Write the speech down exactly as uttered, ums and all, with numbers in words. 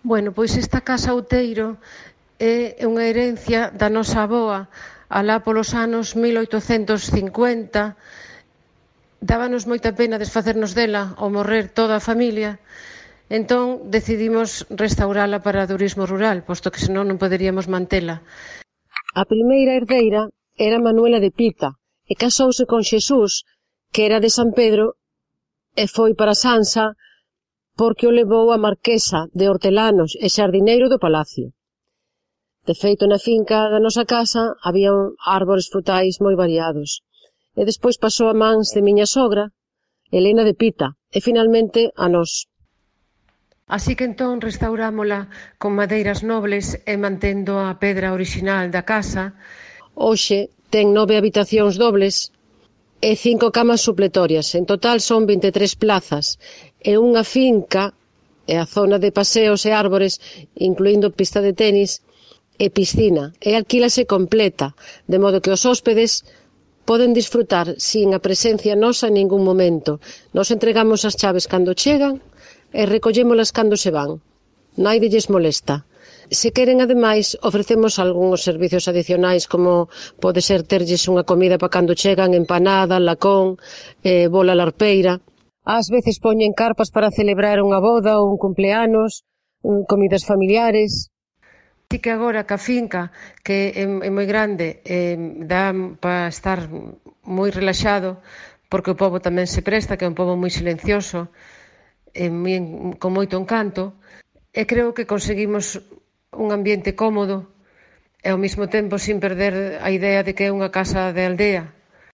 Bueno, pois esta casa Outeiro é unha herencia da nosa avoa alá polos anos mil oitocentos cincuenta. Dábanos moita pena desfacernos dela ao morrer toda a familia, entón decidimos restaurala para turismo rural, posto que senón non poderíamos mantela. A primeira herdeira era Manuela de Pita e casouse con Xesús, que era de San Pedro, e foi para Sansa porque o levou a marquesa de Hortelanos e xardineiro do palacio. De feito, na finca da nosa casa había árbores frutais moi variados. E despois pasou a mans de miña sogra, Elena de Pita, e finalmente a nós. Así que entón restaurámola con madeiras nobles e mantendo a pedra orixinal da casa. Hoxe ten nove habitacións dobles e cinco camas supletorias. En total son vinte e tres plazas e unha finca e a zona de paseos e árbores, incluindo pista de tenis e piscina, e alquílase completa, de modo que os hóspedes poden disfrutar sin a presencia nosa en ningún momento. Nos entregamos as chaves cando chegan e recollémolas cando se van. Naide lles molesta. Se queren, ademais, ofrecemos algúns servicios adicionais, como pode ser terlles unha comida para cando chegan, empanada, lacón, eh, bola larpeira. Ás veces poñen carpas para celebrar unha boda ou un cumpleanos, comidas familiares. Así que agora que a finca, que é, é moi grande, eh, dá para estar moi relaxado, porque o pobo tamén se presta, que é un pobo moi silencioso, eh, moi, con moito encanto, e creo que conseguimos un ambiente cómodo e ao mesmo tempo sin perder a idea de que é unha casa de aldea.